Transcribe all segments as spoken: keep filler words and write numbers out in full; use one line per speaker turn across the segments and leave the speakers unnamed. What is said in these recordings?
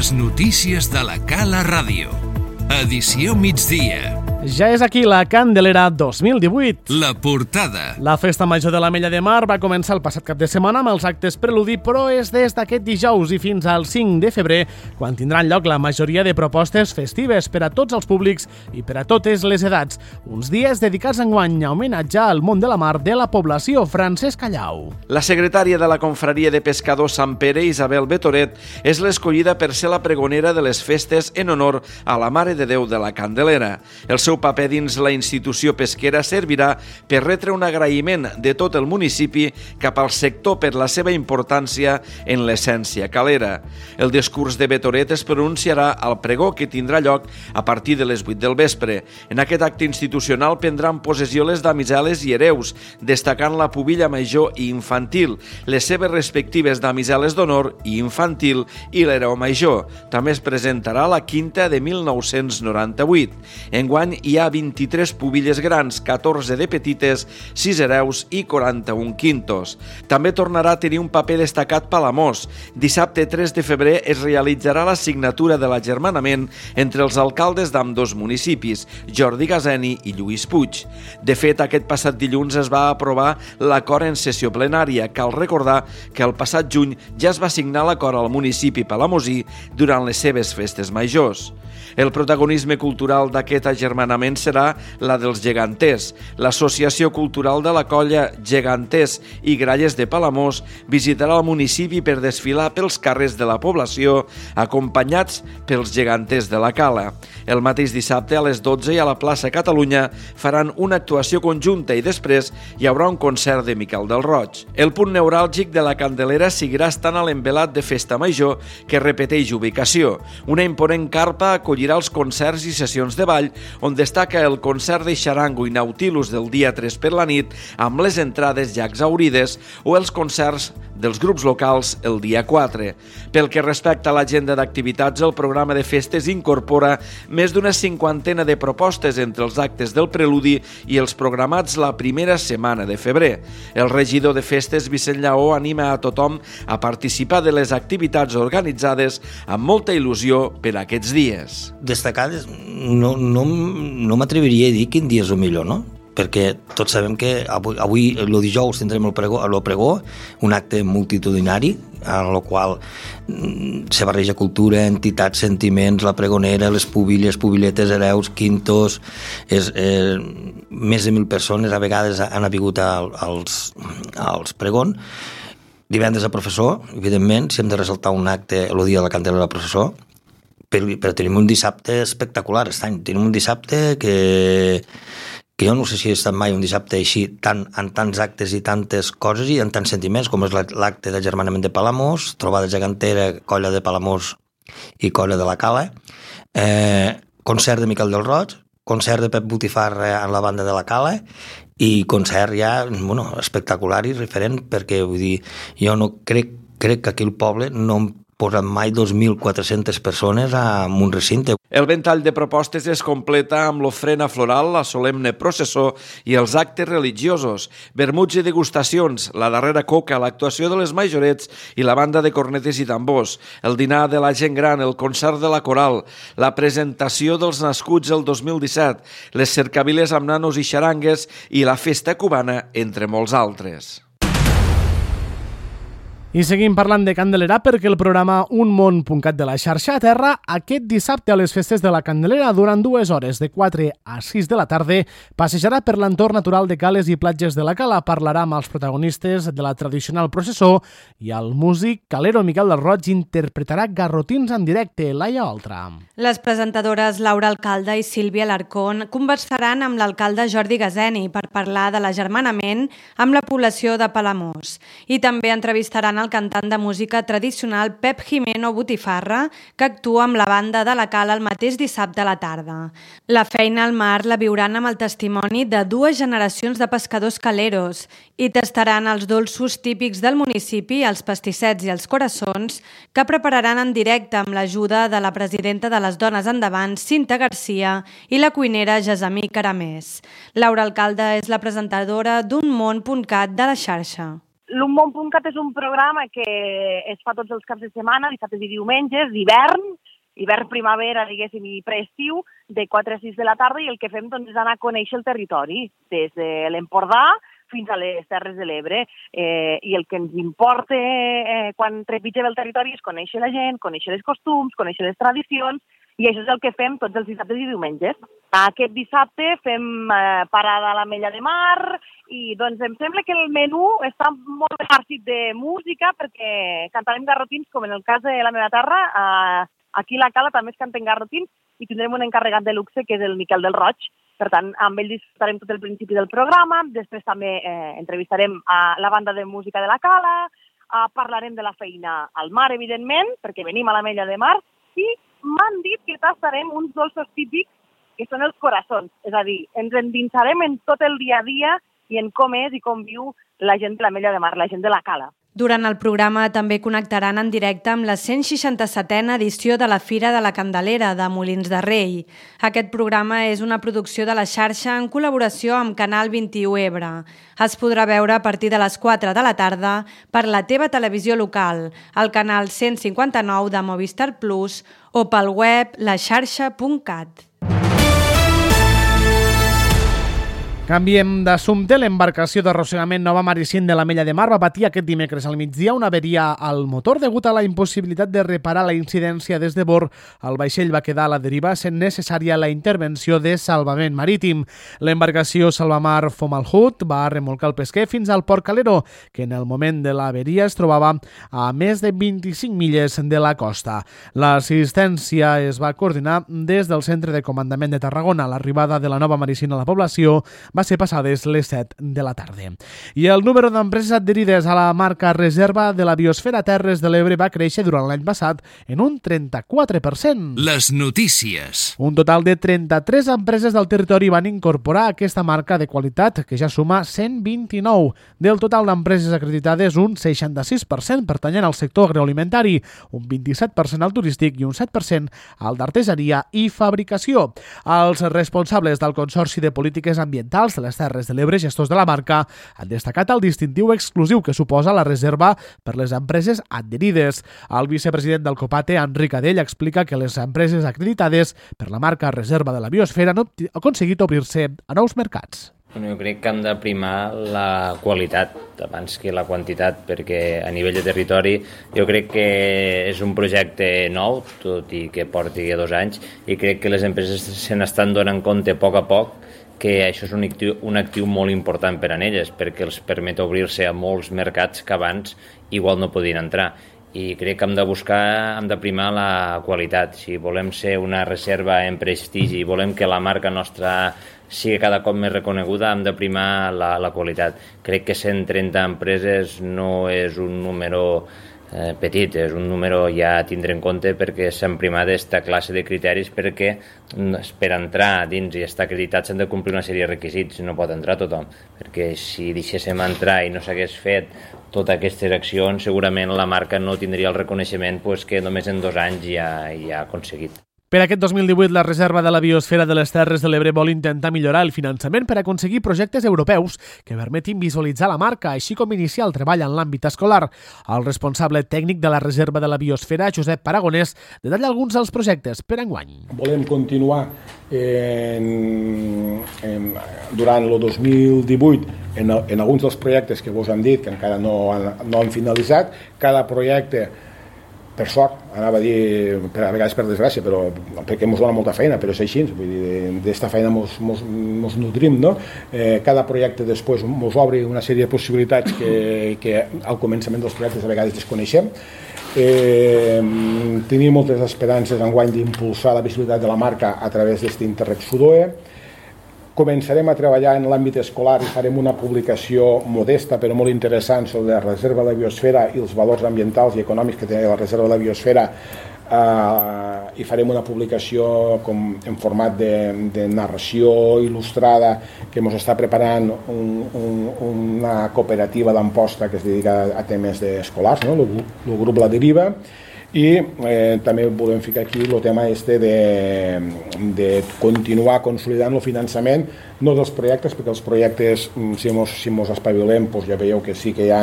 Les notícies de la Cala Ràdio. Edició migdia.
Ja és aquí la Candelera dos mil divuit.
La portada.
La Festa Major de l'Ametlla de Mar va començar el passat cap de setmana amb els actes preludi, però és des d'aquest dijous i fins al cinc de febrer quan tindran lloc la majoria de propostes festives per a tots els públics i per a totes les edats. Uns dies dedicats enguany a homenatjar al món de la mar de la població. Francesc Callau.
La secretària de la Confraria de Pescadors Sant Pere, Isabel Betoret, és l'escollida per ser la pregonera de les festes en honor a la Mare de Déu de la Candelera. El seu paper dins la institució pesquera servirà per retre un agraïment de tot el municipi cap al sector per la seva importància en l'essència calera. El discurs de Betoret es pronunciarà al pregó que tindrà lloc a partir de les vuit del vespre. En aquest acte institucional prendran possessió les damiseles i hereus, destacant la pubilla major i infantil, les seves respectives damiseles d'honor i infantil i l'hereu major. També es presentarà la quinta de mil nou-cents noranta-vuit. Enguany hi ha vint-i-tres pubilles grans, catorze de petites, sis hereus i quaranta-un quintos. També tornarà a tenir un paper destacat Palamós. Dissabte tres de febrer es realitzarà la signatura de l'agermanament entre els alcaldes d'ambdós municipis, Jordi Gazeni i Lluís Puig. De fet, aquest passat dilluns es va aprovar l'acord en sessió plenària. Cal recordar que el passat juny ja es va signar l'acord al municipi palamosí durant les seves festes majors. El protagonisme cultural d'aquest agermanament serà la dels geganters. L'Associació Cultural de la Colla Geganters i Gralles de Palamós visitarà el municipi per desfilar pels carrers de la població, acompanyats pels geganters de la Cala. El mateix dissabte a les dotze i a la plaça Catalunya faran una actuació conjunta i després hi haurà un concert de Miquel del Roig. El punt neuràlgic de la Candelera seguirà estant a l'envelat de Festa Major, que repeteix ubicació. Una imponent carpa acollirà els concerts i sessions de ball, on destaca el concert de xarango i nautilus del dia tres per la nit, amb les entrades ja exaurides, o els concerts dels grups locals el dia quatre. Pel que respecta a l'agenda d'activitats, el programa de festes incorpora més d'una cinquantena de propostes entre els actes del preludi i els programats la primera setmana de febrer. El regidor de festes, Vicent Lleó, anima a tothom a participar de les activitats organitzades amb molta il·lusió per aquests dies.
Destacades, no, no, no m'atreviria a dir quin dia és el millor, no? Perquè tots sabem que avui, avui el dijous tindrem el pregó, el pregó, un acte multitudinari, en el qual mm, se barreja cultura, entitats, sentiments, la pregonera, les pubilles, pubilletes, hereus, quintos, és, eh, més de mil persones a vegades han avingut als, als pregons. Divendres a professor, evidentment, si hem de ressaltar un acte el dia de la Candelera del professor, però, però tenim un dissabte espectacular aquest any. Tenim un dissabte que... que jo no sé si he estat mai un dissabte així, tant, en tants actes i tantes coses i en tants sentiments, com és l'acte d'agermanament de Palamós, trobada gegantera, colla de Palamós i colla de la Cala, eh, concert de Miquel del Roig, concert de Pep Botifarra en la banda de la Cala i concert ja, bueno, espectacular i referent, perquè vull dir, jo no crec, crec que aquí al poble no em posen mai dos mil quatre-centes persones en un recinte.
El ventall de propostes es completa amb l'ofrena floral, la solemne processó i els actes religiosos, vermuts i degustacions, la darrera coca, l'actuació de les majorets i la banda de cornetes i tambors, el dinar de la gent gran, el concert de la coral, la presentació dels nascuts el dos mil disset, les cercaviles amb nanos i xarangues i la festa cubana, entre molts altres.
I seguim parlant de Candelera perquè el programa Un Món punt cat de la xarxa aterra aquest dissabte a les festes de la Candelera. Durant dues hores, de quatre a sis de la tarda, passejarà per l'entorn natural de cales i platges de la Cala. Parlarà amb els protagonistes de la tradicional processó i el músic calero Miquel del Roig interpretarà garrotins en directe. Laia Oltra.
Les presentadores Laura Alcalde i Sílvia Alarcón conversaran amb l'alcalde Jordi Gazeni per parlar de l'agermanament amb la població de Palamós. I també entrevistaran el cantant de música tradicional Pep Jimeno Botifarra, que actua amb la banda de la Cala el mateix dissabte a la tarda. La feina al mar la viuran amb el testimoni de dues generacions de pescadors caleros i tastaran els dolços típics del municipi, els pastissets i els coraçons, que prepararan en directe amb l'ajuda de la presidenta de les Dones Endavant, Cinta Garcia, i la cuinera Gesamí Caramés. Laura Alcalde és la presentadora d'Un Món punt cat de la xarxa.
l'Unmont.cat és un programa que es fa tots els caps de setmana, dissabtes i diumenges, d'hivern, hivern-primavera, diguéssim, i preestiu, de quatre a sis de la tarda, i el que fem doncs, és anar a conèixer el territori, des de l'Empordà fins a les Terres de l'Ebre. Eh, I el que ens importa eh, quan trepitgem el territori és conèixer la gent, conèixer els costums, conèixer les tradicions, i això és el que fem tots els dissabtes i diumenges. Aquest dissabte fem eh, parada a l'Ametlla de Mar i doncs em sembla que el menú està molt ben farcit de música perquè cantarem garrotins, com en el cas de la meva terra. Eh, aquí a la Cala també es canten garrotins i tindrem un encarregat de luxe que és el Miquel del Roig. Per tant, amb ell disfrutarem tot el principi del programa, després també eh, entrevistarem a la banda de música de la Cala, eh, parlarem de la feina al mar, evidentment, perquè venim a l'Ametlla de Mar, i m'han dit que tastarem uns dolços típics que són els coraçons, és a dir, ens endinsarem en tot el dia a dia i en com és i com viu la gent de l'Ametlla de Mar, la gent de la Cala.
Durant el programa també connectaran en directe amb la cent seixanta-setena edició de la Fira de la Candelera de Molins de Rei. Aquest programa és una producció de la xarxa en col·laboració amb Canal vint-i-u Ebre. Es podrà veure a partir de les quatre de la tarda per la teva televisió local, al canal cent cinquanta-nou de Movistar Plus o pel web la xarxa punt cat.
Canviem d'assumpte. L'embarcació d'arrossegament Nova Maricient de l'Ametlla de Mar va patir aquest dimecres al migdia una averia al motor degut a la impossibilitat de reparar la incidència des de bord. El vaixell va quedar a la deriva sent necessària la intervenció de salvament marítim. L'embarcació Salvamar Fomalhut va remolcar el pesquer fins al Port Calero, que en el moment de l'averia es trobava a més de vint-i-cinc milles de la costa. L'assistència es va coordinar des del Centre de Comandament de Tarragona. L'arribada de la Nova Maricient a la població va ser passades les set de la tarda. I el número d'empreses adherides a la marca Reserva de la Biosfera Terres de l'Ebre va créixer durant l'any passat en un trenta-quatre per cent.
Les notícies.
Un total de trenta-tres empreses del territori van incorporar aquesta marca de qualitat, que ja suma cent vint-i-nou. Del total d'empreses acreditades, un seixanta-sis per cent pertanyen al sector agroalimentari, un vint-i-set per cent al turístic i un set per cent al d'artesania i fabricació. Els responsables del Consorci de Polítiques Ambientals de les Terres de l'Ebre, gestors de la marca, han destacat el distintiu exclusiu que suposa la reserva per les empreses adherides. El vicepresident del COPATE, Enric Adell, explica que les empreses acreditades per la marca Reserva de la Biosfera han aconseguit obrir-se a nous mercats.
Jo crec que hem de primar la qualitat abans que la quantitat, perquè a nivell de territori jo crec que és un projecte nou, tot i que porti dos anys, i crec que les empreses se n'estan donant compte a poc a poc que això és un actiu, un actiu molt important per a elles, perquè els permet obrir-se a molts mercats que abans igual no podien entrar. I crec que hem de buscar, hem de primar la qualitat. Si volem ser una reserva en prestigi i volem que la marca nostra sigui cada cop més reconeguda, hem de primar la, la qualitat. Crec que cent trenta empreses no és un número eh, petit, és un número ja a tindre en compte perquè s'han primat aquesta classe de criteris, perquè per entrar dins i estar acreditat s'han de complir una sèrie de requisits, no pot entrar tothom, perquè si deixéssim entrar i no s'hagués fet totes aquestes accions, segurament la marca no tindria el reconeixement pues, que només en dos anys ja, ja ha aconseguit.
Per aquest dos mil divuit, la Reserva de la Biosfera de les Terres de l'Ebre vol intentar millorar el finançament per aconseguir projectes europeus que permetin visualitzar la marca, així com iniciar el treball en l'àmbit escolar. El responsable tècnic de la Reserva de la Biosfera, Josep Paragonès, detalla alguns dels projectes per enguany.
Volem continuar en, en, durant el dos mil divuit en, en alguns dels projectes que vos han dit que encara no han, no han finalitzat. Cada projecte, per sort, anava a dir, per, a vegades per desgràcia, però perquè ens dona molta feina, però és així, vull dir, d'esta feina ens mos, mos nutrim, no? Eh, cada projecte després ens obre una sèrie de possibilitats que, que al començament dels projectes a vegades desconeixem. Eh, tenim moltes esperances enguany d'impulsar la visibilitat de la marca a través d'aquest Interreg Sudoe. Començarem a treballar en l'àmbit escolar i farem una publicació modesta però molt interessant sobre la Reserva de la Biosfera i els valors ambientals i econòmics que té la Reserva de la Biosfera, eh, i farem una publicació com, en format de, de narració il·lustrada que ens està preparant un, un, una cooperativa d'Amposta que es dedica a temes escolars, no? el, el grup La Deriva. i eh, també volem ficar aquí el tema este de, de continuar consolidant el finançament, no dels projectes, perquè els projectes, si mos, si mos espavilem, doncs ja veieu que sí que hi ha,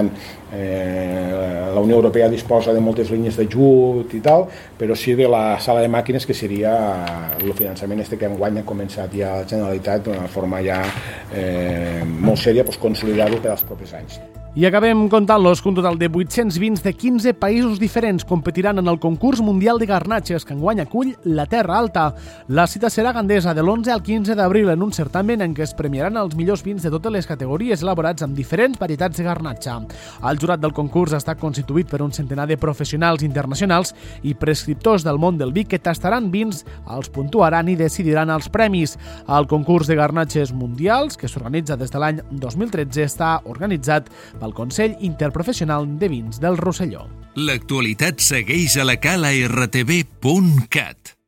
eh, la Unió Europea disposa de moltes línies d'ajut i tal, però sí de la sala de màquines, que seria el finançament este que enguany ha començat ja la Generalitat d'una forma ja eh, molt sèria, doncs consolidar-lo per als propers anys.
I acabem comptant-los que un total de vuit-cents vins de quinze països diferents competiran en el concurs mundial de garnatges que enguany acull la Terra Alta. La cita serà a Gandesa de l'onze al quinze d'abril en un certamen en què es premiaran els millors vins de totes les categories elaborats amb diferents varietats de garnatge. El jurat del concurs està constituït per un centenar de professionals internacionals i prescriptors del món del vi que tastaran vins, els puntuaran i decidiran els premis. El concurs de garnatges mundials, que s'organitza des de l'any dos mil tretze, està organitzat pel Consell Interprofessional de Vins del Rosselló.
L'actualitat segueix a la cala r t v punt cat.